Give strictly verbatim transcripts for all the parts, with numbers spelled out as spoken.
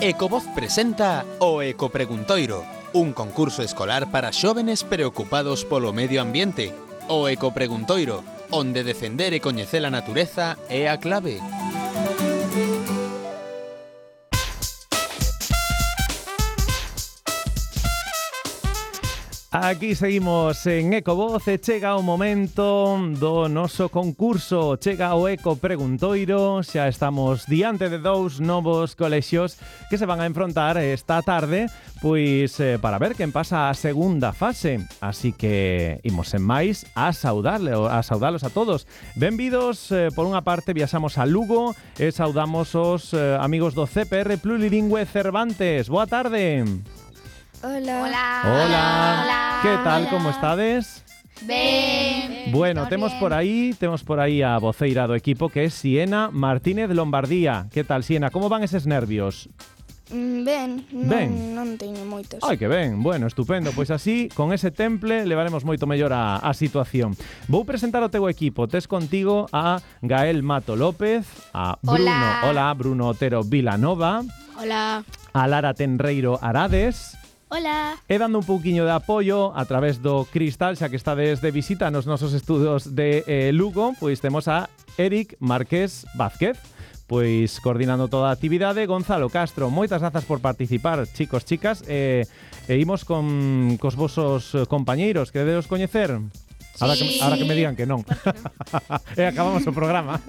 Ecovoz presenta o Ecopreguntoiro, un concurso escolar para xóvenes preocupados polo medio ambiente. O Ecopreguntoiro, onde defender e coñecer a natureza é a clave. Aquí seguimos en Ecovoz e chega o momento do noso concurso. Chega o Eco Preguntoiro. Xa estamos diante de dous novos colexios que se van a enfrontar esta tarde, pois eh, para ver quen pasa a segunda fase. Así que imos en máis a saudarle, a saudalos a todos. Benvidos, eh, por unha parte viaxamos a Lugo e saudamos os eh, amigos do C P R Plurilingüe Cervantes. Boa tarde. Hola. Hola. Hola. Hola. Que tal, Hola. como estades? Ben. Bueno, Todo temos bien. por aí, temos por aí a voceira do equipo que é Siena Martínez Lombardía. Que tal, Siena? Como van eses nervios? Mm, Ben, non, Ben. non teño moitos. Ai, que ben, bueno, estupendo. Pois así, con ese temple, levaremos moito mellor a, a situación. Vou presentar o teu equipo. Tes contigo a Gael Mato López, a Bruno, Hola. hola, Bruno Otero Vilanova, Hola. a Lara Tenreiro Arades, Hola. e dando un pouquiño de apoio a través do Cristal, xa que estades de visita nos nosos estudos de eh, Lugo, pois temos a Eric Márquez Vázquez, pois coordinando toda a actividade, Gonzalo Castro. Moitas grazas por participar, chicos, chicas, e, e imos con cos vosos compañeiros, que deberos coñecer. Ahora que, ahora que me digan que non. E acabamos o programa.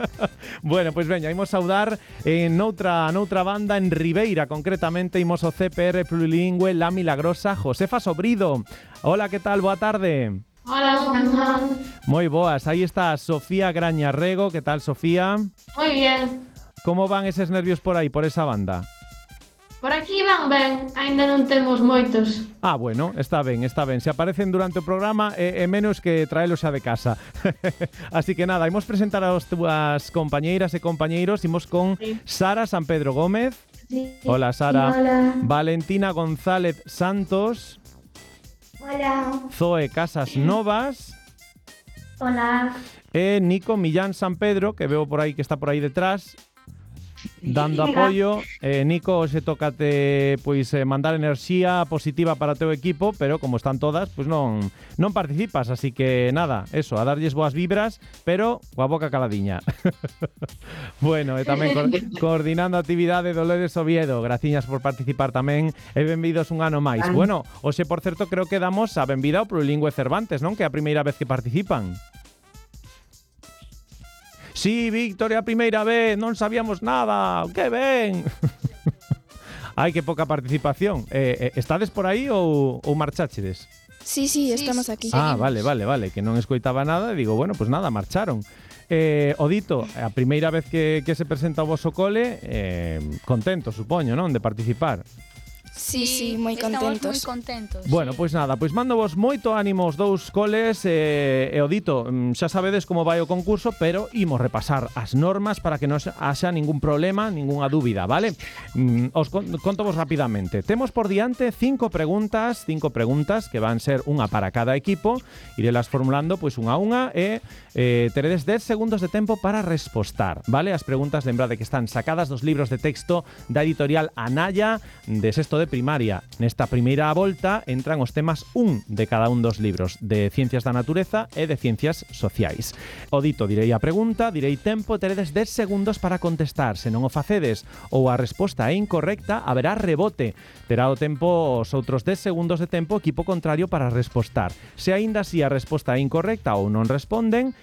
Bueno, pois veña, imos saudar en noutra, noutra banda, en Ribeira, concretamente, imos o C P R Plurilingüe La Milagrosa, Josefa Sobrido. Hola, que tal? Boa tarde. Hola, Juan. Moi boas, aí está Sofía Grañarrego. Que tal, Sofía? Muy bien. Como van eses nervios por aí, por esa banda? Por aquí van ben, aínda non temos moitos. Ah, bueno, está ben, está ben. Se aparecen durante o programa é, é menos que traelos xa de casa. Así que nada, imos presentar aos túas compañeiras e compañeiros. Imos con Sí. Sara San Pedro Gómez. Sí. Hola, Sara. Hola. Valentina González Santos. Hola. Zoe Casas Novas. Hola. E Nico Millán San Pedro, que veo por aí, que está por aí detrás, dando apoio. eh, Nico, hoxe tócate pois eh, mandar enerxía positiva para o teu equipo, pero como están todas, pois non non participas, así que nada, eso, a darlles boas vibras, pero coa boca caladiña. Bueno, e tamén co coordinando a actividade Dolores Oviedo. Graciñas por participar tamén e benvidos un ano máis. Bueno, hoxe, por certo, creo que damos a benvida ao Plurilingüe Cervantes, non? Que é a primeira vez que participan. Sí, Víctor, é a primeira vez, non sabíamos nada, que ben. Ai, que poca participación. Eh, eh, estades por aí ou, ou marcháchedes? Sí, sí, Sí, estamos aquí. Ah, vale, vale, vale, que non escoitaba nada e digo, bueno, pues nada, marcharon. Eh, Odito, a primeira vez que, que se presenta o voso cole, eh, contento, supoño, non, de participar. Sí, sí, moi Estamos contentos. moi contentos. Bueno, sí. pois nada, pois mando vos moito ánimo os dous coles e, e Odito, mm, xa sabedes como vai o concurso, pero imos repasar as normas para que non haxa ningún problema, ningunha dúbida, vale? Mm, os con, conto vos rapidamente. Temos por diante cinco preguntas, cinco preguntas que van ser unha para cada equipo, irelas formulando pois unha a unha e eh, teredes dez segundos de tempo para respostar, vale? As preguntas, lembrade que están sacadas dos libros de texto da editorial Anaya de sexto de primaria. Nesta primeira volta entran os temas un de cada un dos libros, de Ciencias da Natureza e de Ciencias Sociais. O dito, direi a pregunta, direi tempo, teredes dez segundos para contestar. Se non o facedes ou a resposta é incorrecta, haberá rebote. Terá o tempo os outros dez segundos de tempo o equipo contrario para respostar. Se aínda así a resposta é incorrecta ou non responden,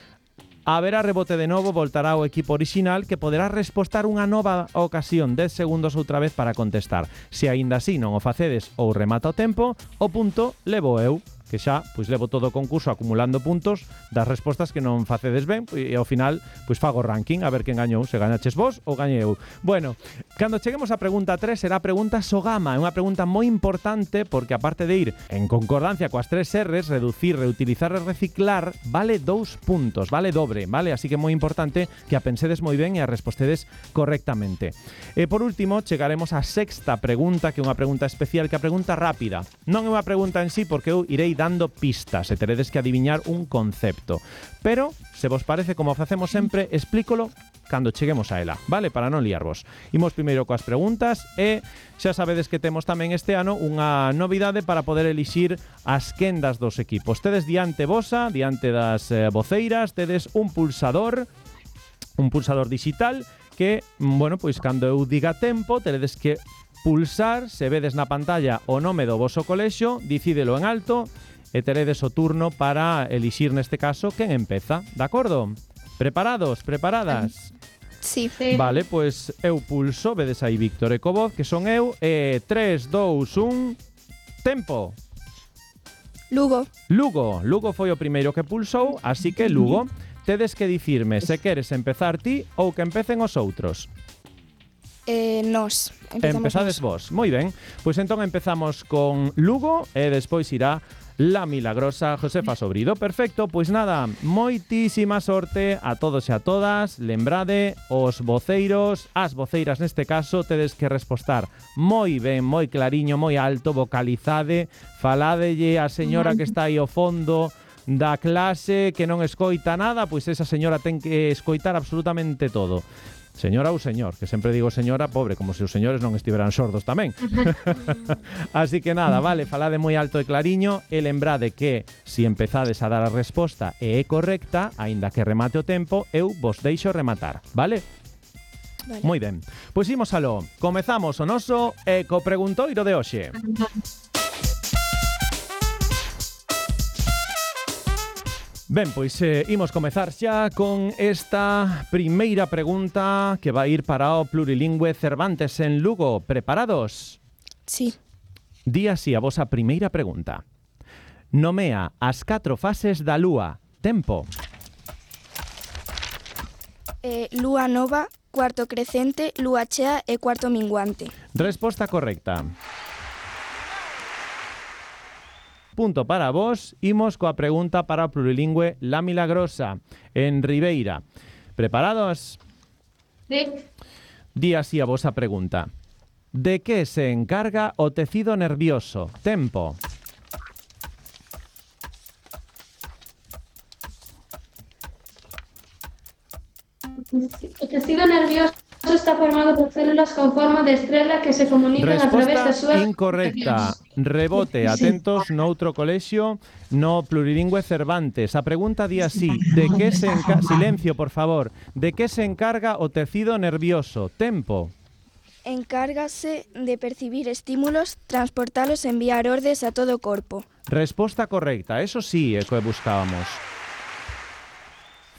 haberá rebote de novo, voltará o equipo orixinal que poderá respostar unha nova ocasión, dez segundos outra vez para contestar. Se aínda así non o facedes ou remata o tempo, o punto levo eu, que xa pois levo todo o concurso acumulando puntos das respostas que non facedes ben e ao final pois fago ranking a ver quen gañou, se gañaches vos ou gañei eu. Bueno, cando cheguemos a pregunta tres será a pregunta Sogama, é unha pregunta moi importante porque aparte de ir en concordancia coas tres R's, reducir, reutilizar e reciclar, vale dous puntos, vale dobre, vale? Así que é moi importante que a pensedes moi ben e a respostedes correctamente. E por último, chegaremos á sexta pregunta, que é unha pregunta especial, que é a pregunta rápida. Non é unha pregunta en sí porque eu irei dando pistas e teredes que adiviñar un concepto. Pero, se vos parece, como facemos sempre, explícolo cando cheguemos a ela, vale? Para non liarvos. Imos primeiro coas preguntas e xa sabedes que temos tamén este ano unha novidade para poder elixir as quendas dos equipos. Tedes diante vosa, diante das eh, voceiras, tedes un pulsador, un pulsador digital que, bueno, pois cando eu diga tempo, teredes que pulsar, se vedes na pantalla o nome do voso colexio, dicídelo en alto e teredes o turno para elixir neste caso quen empeza, de acordo? Preparados? Preparadas? Sí. Sí. Vale, pois eu pulso, vedes aí Víctor e Covoz, que son eu, e tres, dous, un, tempo. Lugo. Lugo, Lugo foi o primeiro que pulsou, así que Lugo, tedes que dicirme se queres empezar ti ou que empecen os outros. Eh, nos. Empezamos Empezades nos. vos. Moi ben. Pois entón empezamos con Lugo e despois irá la milagrosa Josefa Sobrido. Perfecto, pois nada, moitísima sorte a todos e a todas. Lembrade, os voceiros, as voceiras neste caso, tedes que respostar moi ben, moi clariño, moi alto, vocalizade, faladelle a señora que está aí ao fondo da clase que non escoita nada, pois esa señora ten que escoitar absolutamente todo. Señora ou señor, que sempre digo señora, pobre, como se os señores non estiveran sordos tamén. Así que nada, vale, falade moi alto e clariño e lembrade que se empezades a dar a resposta e é correcta, aínda que remate o tempo, eu vos deixo rematar, vale? Vale. Moi ben, pois imos aló. Comezamos o noso ecopreguntoiro de hoxe. Ben, pois eh, imos comezar xa con esta primeira pregunta que vai ir para o plurilingüe Cervantes en Lugo. Preparados? Sí. Di así a vosa primeira pregunta. Nomea as catro fases da lúa. Tempo. Eh, lúa nova, cuarto crecente, lúa chea e cuarto minguante. Resposta correcta. Punto para vos. Imos coa pregunta para o plurilingüe La Milagrosa en Ribeira. Preparados? Sí. Di así a vosa pregunta. De que se encarga o tecido nervioso? Tempo. O tecido nervioso está formado por células con forma de estrela que se comunican a través das Resposta súas incorrecta. Rebote, atentos noutro colexio, no plurilingüe Cervantes. A pregunta di así, de que se encarga... Silencio, por favor. De que se encarga o tecido nervioso? Tempo. Encárgase de percibir estímulos, transportalos e enviar ordes a todo o corpo. Resposta correcta. Eso sí é que buscábamos.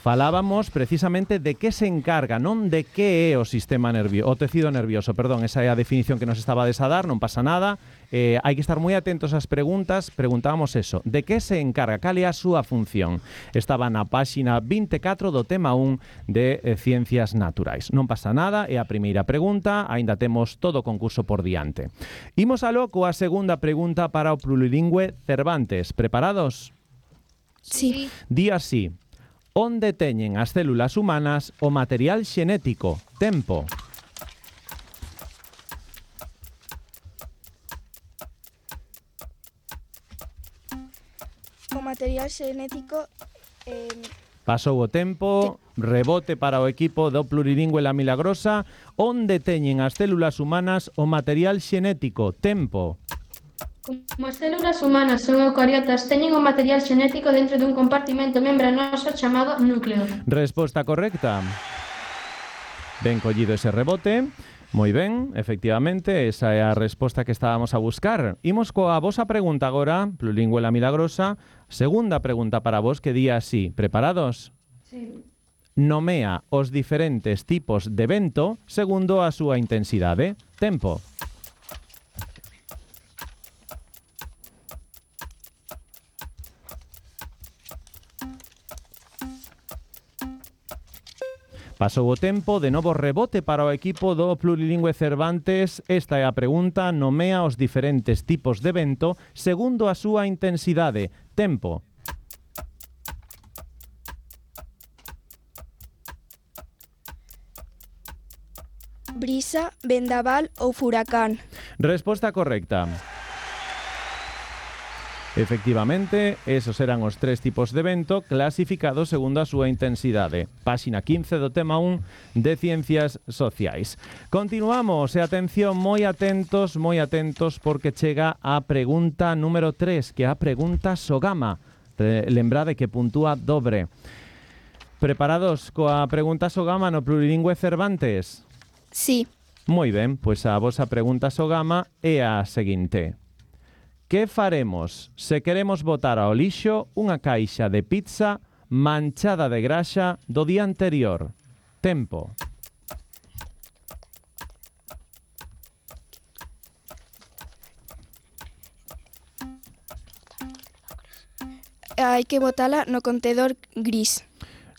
Falábamos precisamente de que se encarga, non de que é o sistema nervioso, o tecido nervioso, perdón, esa é a definición que nos estaba a dar, non pasa nada. Eh, hai que estar moi atentos ás preguntas. Preguntábamos eso, de que se encarga, cal é a súa función. Estaba na páxina vinte e catro do tema un de eh, Ciencias Naturais. Non pasa nada, é a primeira pregunta, aínda temos todo o concurso por diante. Imos aló coa segunda pregunta para o plurilingüe Cervantes. Preparados? Sí. Di así. Onde teñen as células humanas o material xenético? Tempo. O material xenético eh, Pasou o tempo, rebote para o equipo do plurilingüe La Milagrosa. Onde teñen as células humanas o material xenético? Tempo. Como as células humanas son eucariotas, teñen o material xenético dentro dun compartimento membranoso chamado núcleo. Resposta correcta. Ben collido ese rebote. Moi ben, efectivamente, esa é a resposta que estábamos a buscar. Imos coa vosa pregunta agora, plurilingüe La Milagrosa. Segunda pregunta para vos que di así. Preparados? Sí. Nomea os diferentes tipos de vento segundo a súa intensidade. Tempo. Pasou o tempo, de novo rebote para o equipo do plurilingüe Cervantes. Esta é a pregunta, nomea os diferentes tipos de vento segundo a súa intensidade. Tempo. brisa, vendaval ou furacán. Resposta correcta. Efectivamente, esos eran os tres tipos de vento clasificados segundo a súa intensidade. Páxina quince do tema un de Ciencias Sociais. Continuamos, e atención, moi atentos, moi atentos, porque chega a pregunta número tres, que é a pregunta Sogama. Lembrade que puntúa dobre. Preparados coa pregunta Sogama no plurilingüe Cervantes? Sí. Moi ben, pois a vosa pregunta Sogama é a seguinte. Que faremos se queremos botar ao lixo unha caixa de pizza manchada de graxa do día anterior? Tempo. Hai que botala no contedor gris.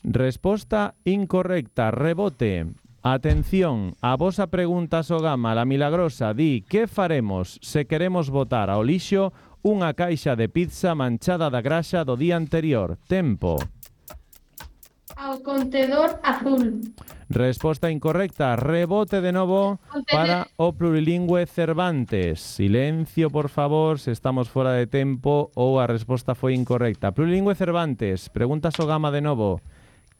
Resposta incorrecta, rebote. Atención, a vosa pregunta Sogama, la milagrosa, di que faremos se queremos botar ao lixo unha caixa de pizza manchada da graxa do día anterior? Tempo. Ao contedor azul. Resposta incorrecta, rebote de novo para o plurilingüe Cervantes. Silencio, por favor, se estamos fora de tempo ou a resposta foi incorrecta. Plurilingüe Cervantes, pregunta Sogama de novo.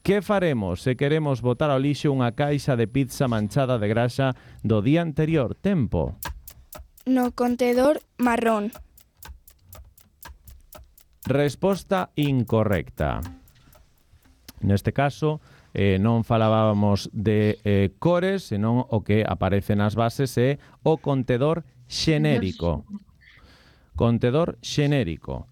Que faremos se queremos botar ao lixo unha caixa de pizza manchada de graxa do día anterior? Tempo. No contedor marrón. Resposta incorrecta. Neste caso, eh, non falábamos de eh, cores, senón o que aparece nas bases é o contedor xenérico. Contedor xenérico.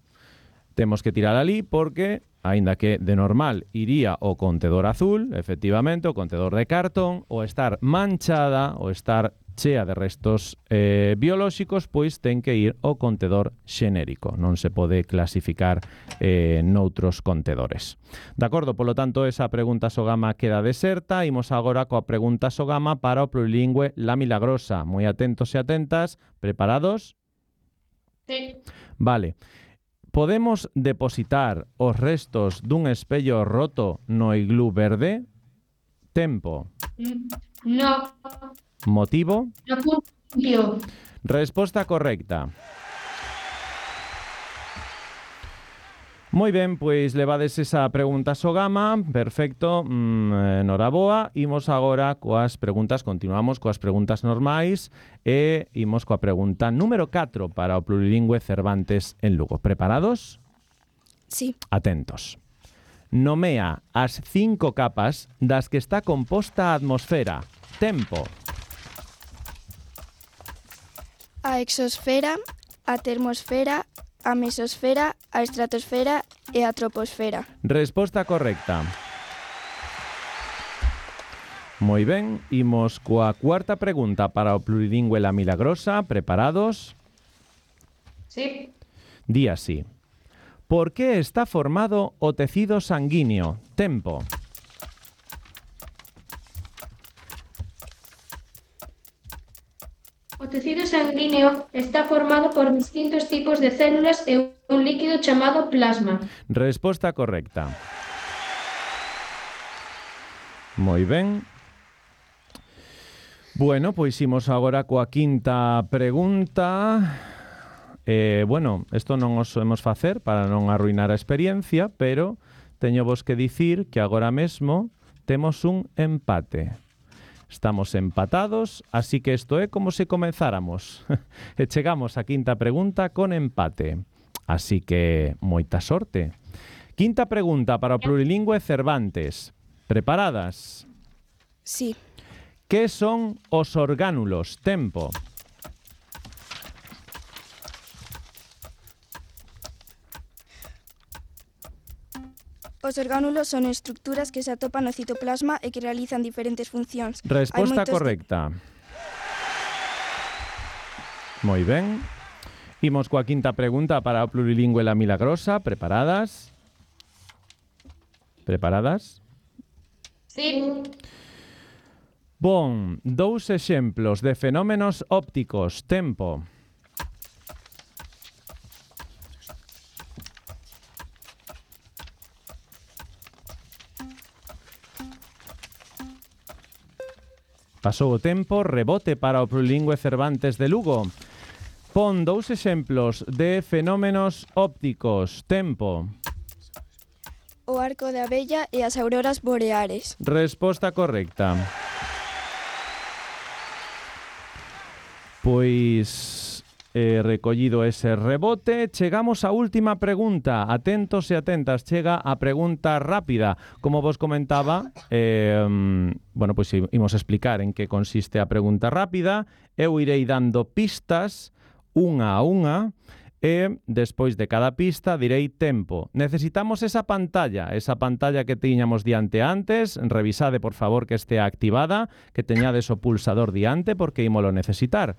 Temos que tirar ali porque, aínda que de normal iría o contedor azul, efectivamente, o contedor de cartón, o estar manchada, o estar chea de restos eh, biolóxicos, pois ten que ir o contedor xenérico. Non se pode clasificar eh, noutros contedores. De acordo, polo tanto, esa pregunta Sogama queda deserta. Imos agora coa pregunta Sogama para o plurilingüe La Milagrosa. Moi atentos e atentas. Preparados? Sí. Vale. Podemos depositar os restos dun espello roto no iglú verde? Tempo. No. Motivo? No limpio. Resposta correcta. Moi ben, pois levades esa pregunta Sogama, perfecto, mm, noraboa. Imos agora coas preguntas, continuamos coas preguntas normais e imos coa pregunta número catro para o plurilingüe Cervantes en Lugo. Preparados? Sí. Atentos. Nomea as cinco capas das que está composta a atmosfera. Tempo. A exosfera, a termosfera, a mesosfera, a estratosfera e a troposfera. Resposta correcta. Moi ben, imos coa cuarta pregunta para o plurilingüe La Milagrosa. Preparados? Sí. Di así. Por que está formado o tecido sanguíneo? Tempo. O tecido sanguíneo está formado por distintos tipos de células e un líquido chamado plasma. Resposta correcta. Moi ben. Bueno, pois imos agora coa quinta pregunta. Eh, bueno, isto non os podemos facer para non arruinar a experiencia, pero teño vos que dicir que agora mesmo temos un empate. Estamos empatados, así que isto é como se comenzáramos. E chegamos á quinta pregunta con empate. Así que, moita sorte. Quinta pregunta para o plurilingüe Cervantes. Preparadas? Sí. Que son os orgánulos? Tempo. Os orgánulos son estructuras que se atopan no citoplasma e que realizan diferentes funcións. Resposta correcta. Moi ben. Imos coa quinta pregunta para o plurilingüe La Milagrosa. Preparadas? Preparadas? Sí. Bon, dous exemplos de fenómenos ópticos. Tempo. Pasou o tempo, rebote para o plurilingüe Cervantes de Lugo. Pon dous exemplos de fenómenos ópticos. Tempo. O arco da vella e as auroras boreares. Resposta correcta. Pois eh, recollido ese rebote, chegamos á última pregunta. Atentos e atentas, chega a pregunta rápida. Como vos comentaba, eh, bueno, pois imos explicar en que consiste a pregunta rápida. Eu irei dando pistas unha a unha e despois de cada pista direi tempo. Necesitamos esa pantalla, esa pantalla que tiñamos diante antes. Revisade, por favor, que estea activada, que teñades o pulsador diante porque ímolo necesitar.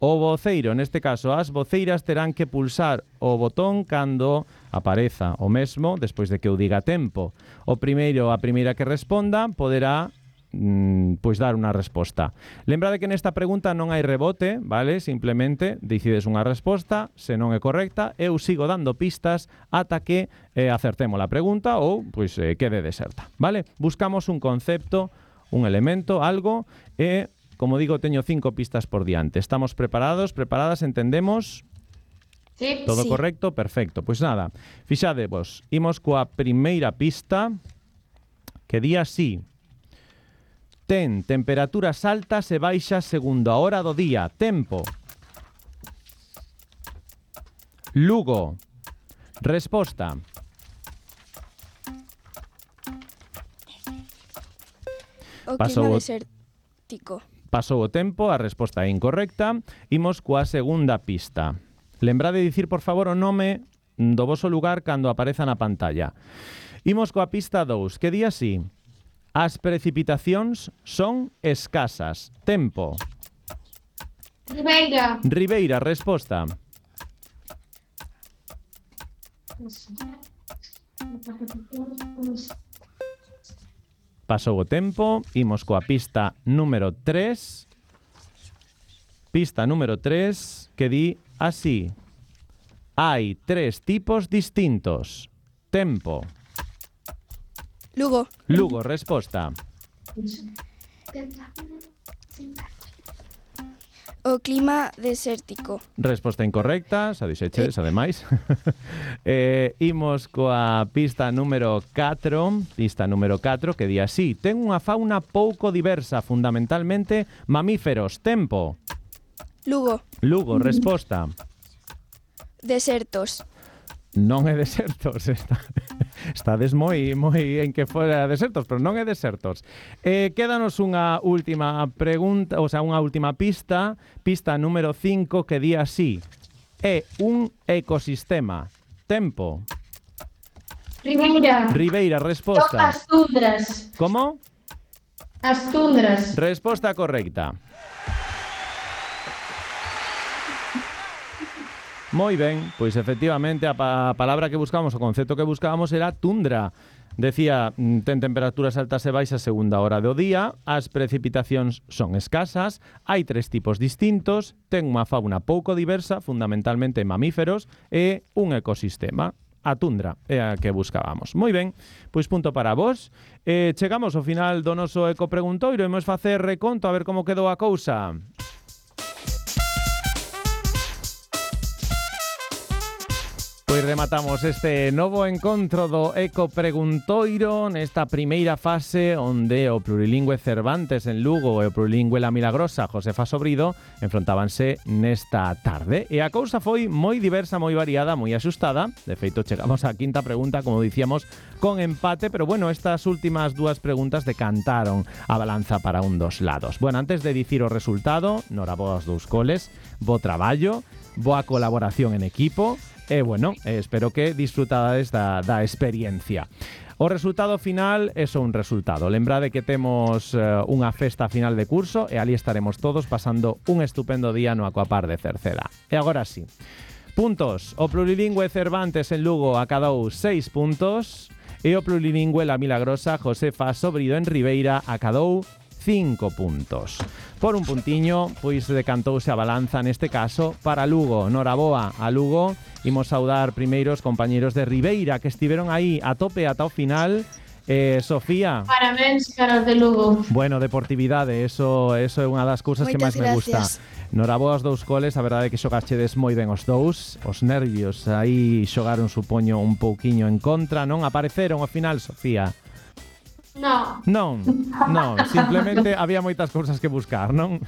O voceiro, neste caso, as voceiras terán que pulsar o botón cando apareza o mesmo despois de que eu diga tempo. O primeiro, a primeira que responda, poderá mm, pois dar unha resposta. Lembrade que nesta pregunta non hai rebote, vale? Simplemente decides unha resposta, se non é correcta, eu sigo dando pistas ata que eh, acertemos a pregunta ou pois eh, quede deserta, vale? Buscamos un concepto, un elemento, algo e como digo, teño cinco pistas por diante. Estamos preparados, preparadas, entendemos? Sí. Todo Sí. correcto? Perfecto. Pois nada, fixadevos, imos coa primeira pista que di así. Ten temperaturas altas e baixas segundo a hora do día. Tempo. Lugo. Resposta. O Pasou clima o- desértico. Pasou o tempo, a resposta é incorrecta. Imos coa segunda pista. Lembrade de dicir, por favor, o nome do voso lugar cando apareza na pantalla. Imos coa pista dous, que di así. As precipitacións son escasas. Tempo. Ribeira. Ribeira, resposta. Pasou o tempo, imos coa pista número tres. Pista número tres, que di así. Hai tres tipos distintos. Tempo. Lugo. Lugo, resposta. O clima desértico. Resposta incorrecta, xa dixeches, ademais. eh, imos coa pista número catro, pista número catro, que di así. Ten unha fauna pouco diversa, fundamentalmente mamíferos. Tempo. Lugo. Lugo, resposta. Desertos. Non é desertos, está, estades moi, moi en que fora desertos, pero non é desertos. Eh, quédanos unha última pregunta, o sea, unha última pista, pista número cinco, que di así. É un ecosistema. Tempo. Ribeira. Ribeira, Son resposta. as tundras. Como? As tundras. Resposta correcta. Moi ben, pois efectivamente a, pa a palabra que buscábamos, o concepto que buscábamos era tundra. Decía, ten temperaturas altas e baixas segunda hora do día, as precipitacións son escasas, hai tres tipos distintos, ten unha fauna pouco diversa, fundamentalmente mamíferos, e un ecosistema. A tundra é a que buscábamos. Moi ben, pois punto para vos. Eh, chegamos ao final do noso ecopreguntoiro e imos facer reconto a ver como quedou a cousa. Pois rematamos este novo encontro do Eco Preguntoiro nesta primeira fase onde o plurilingüe Cervantes en Lugo e o plurilingüe La Milagrosa Josefa Sobrido enfrontábanse nesta tarde. E a cousa foi moi diversa, moi variada, moi axustada. De feito, chegamos á quinta pregunta, como dicíamos, con empate, pero bueno, estas últimas dúas preguntas decantaron a balanza para un dos lados. Bueno, antes de dicir o resultado, noraboa aos dous coles, bo traballo, boa colaboración en equipo. E, bueno, eh, espero que disfrutades da, da experiencia. O resultado final é só un resultado. Lembrade que temos eh, unha festa final de curso e ali estaremos todos pasando un estupendo día no Aquapar de Cerceda. E agora sí. Puntos. O plurilingüe Cervantes en Lugo acadou seis puntos e o plurilingüe La Milagrosa Josefa Sobrido en Ribeira acadou cinco puntos. Por un puntiño, pois decantouse a balanza neste caso para Lugo. Noraboa a Lugo. Imos saudar primeiro os compañeros de Ribeira que estiveron aí a tope ata o final. Eh, Sofía. Parabéns para os de Lugo. Bueno, deportividade, eso, eso é unha das cousas que máis Moitas me gusta. gracias. Noraboa aos dous coles, a verdade é que xogachedes moi ben os dous. Os nervios aí xogaron, supoño, un pouquiño en contra, non? Apareceron ao final, Sofía? No. Non, non, simplemente había moitas cousas que buscar, non?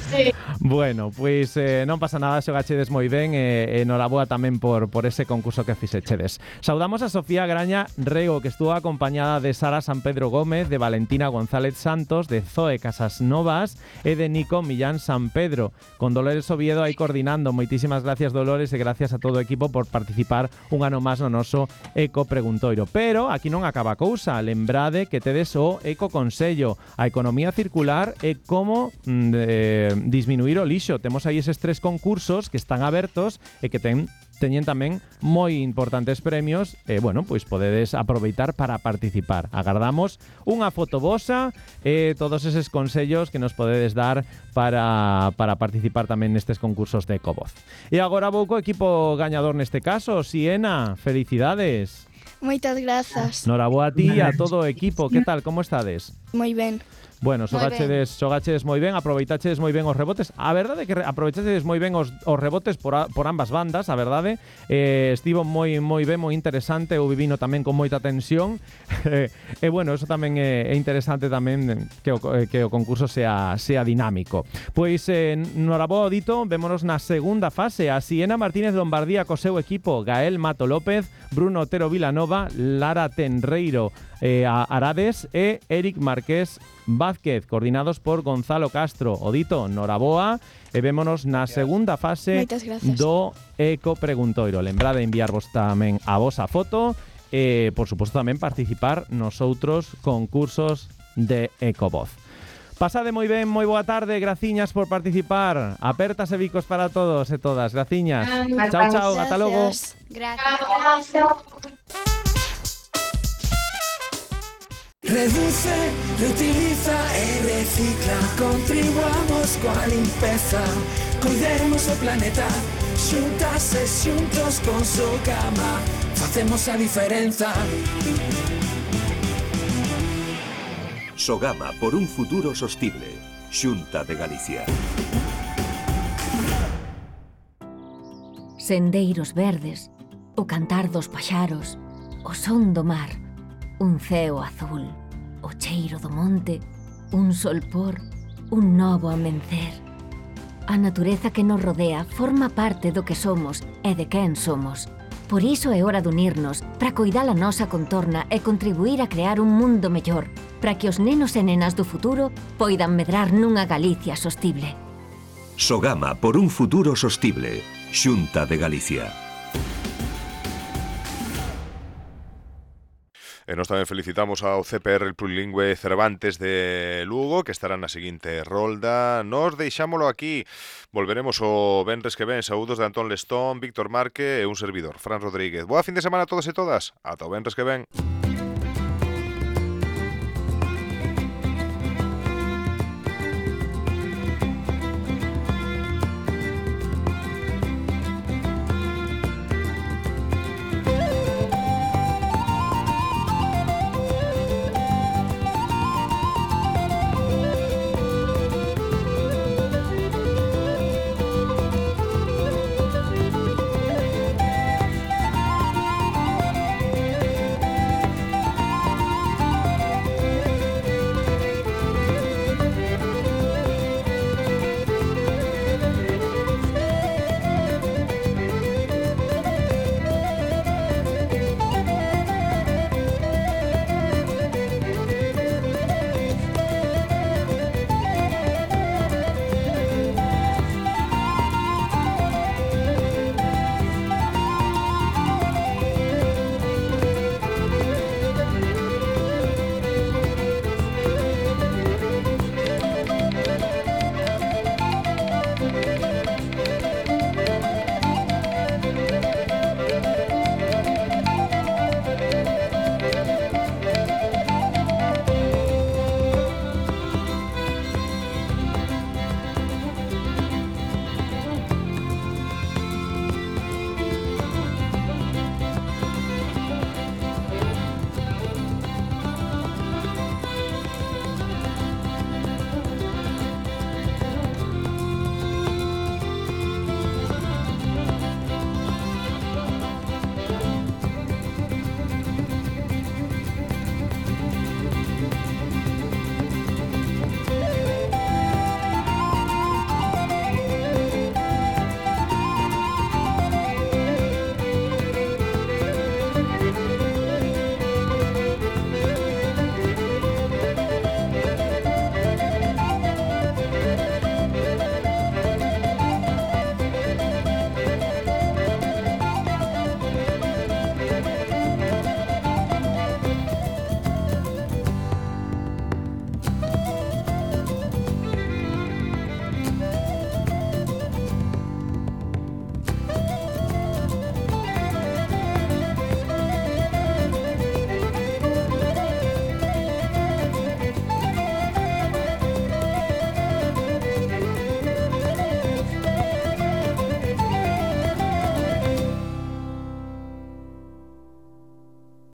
Sí. Bueno, pois eh, non pasa nada, xogachedes moi ben e eh, noraboa tamén por, por ese concurso que fixechedes. Saudamos a Sofía Graña Rego, que estuvo acompañada de Sara San Pedro Gómez, de Valentina González Santos, de Zoe Casas Novas e de Nico Millán San Pedro, con Dolores Oviedo aí coordinando. Moitísimas gracias, Dolores, e gracias a todo o equipo por participar un ano máis no noso Eco Preguntoiro. Pero aquí non acaba a cousa, lembrar que tedes o Eco Consello, a economía circular e como mm, eh, disminuir o lixo. Temos aí eses tres concursos que están abertos e que ten teñen tamén moi importantes premios e, bueno, pois podedes aproveitar para participar. Agardamos unha foto vosa e todos eses consellos que nos podedes dar para, para participar tamén nestes concursos de Ecovoz. E agora vou co equipo gañador neste caso, Siena, felicidades. Moitas grazas. Noraboa a ti e a todo o equipo. Que tal, como estades? Moi ben. Bueno, xogachedes, xogachedes moi ben, aproveitachedes moi ben os rebotes. A verdade é que aproveitachedes moi ben os, os rebotes por, a, por ambas bandas, a verdade. Eh, estivo moi moi ben, moi interesante, o vivino tamén con moita tensión. E eh, bueno, eso tamén é, é interesante tamén que o, que o concurso sea, sea dinámico. Pois, eh, noraboa dito, vémonos na segunda fase. A Siena Martínez Lombardía co seu equipo, Gael Mato López, Bruno Otero Vilanova, Lara Tenreiro eh, Arades e Eric Marqués Vázquez, coordinados por Gonzalo Castro. Odito, noraboa, e vémonos na segunda fase do Eco Preguntoiro. Lembrade de enviarvos tamén a vosa foto e, por suposto, tamén participar nos outros concursos de Ecovoz. Pasade moi ben, moi boa tarde, graciñas por participar. Apertas e bicos para todos e todas, graciñas. Chao, chao, ata logo. Gracias. Reduce, reutiliza e recicla. Contribuamos coa limpeza, cuidemos o planeta. Xuntas e xuntos con Sogama facemos a diferenza. Sogama por un futuro sostible. Xunta de Galicia. Sendeiros verdes, o cantar dos paxaros, o son do mar, un ceo azul, o cheiro do monte, un solpor, un novo amencer. A natureza que nos rodea forma parte do que somos e de quen somos. Por iso é hora de unirnos para coidar a nosa contorna e contribuir a crear un mundo mellor, para que os nenos e nenas do futuro poidan medrar nunha Galicia sostible. Sogama por un futuro sostible. Xunta de Galicia. E nós tamén felicitamos ao C P R el Plurilingüe Cervantes de Lugo, que estará na seguinte rolda. Nos deixámolo aquí. Volveremos o venres que ven. Saúdos de Antón Lestón, Víctor Marque e un servidor, Fran Rodríguez. Boa fin de semana a todos e todas. Ata o venres que ven.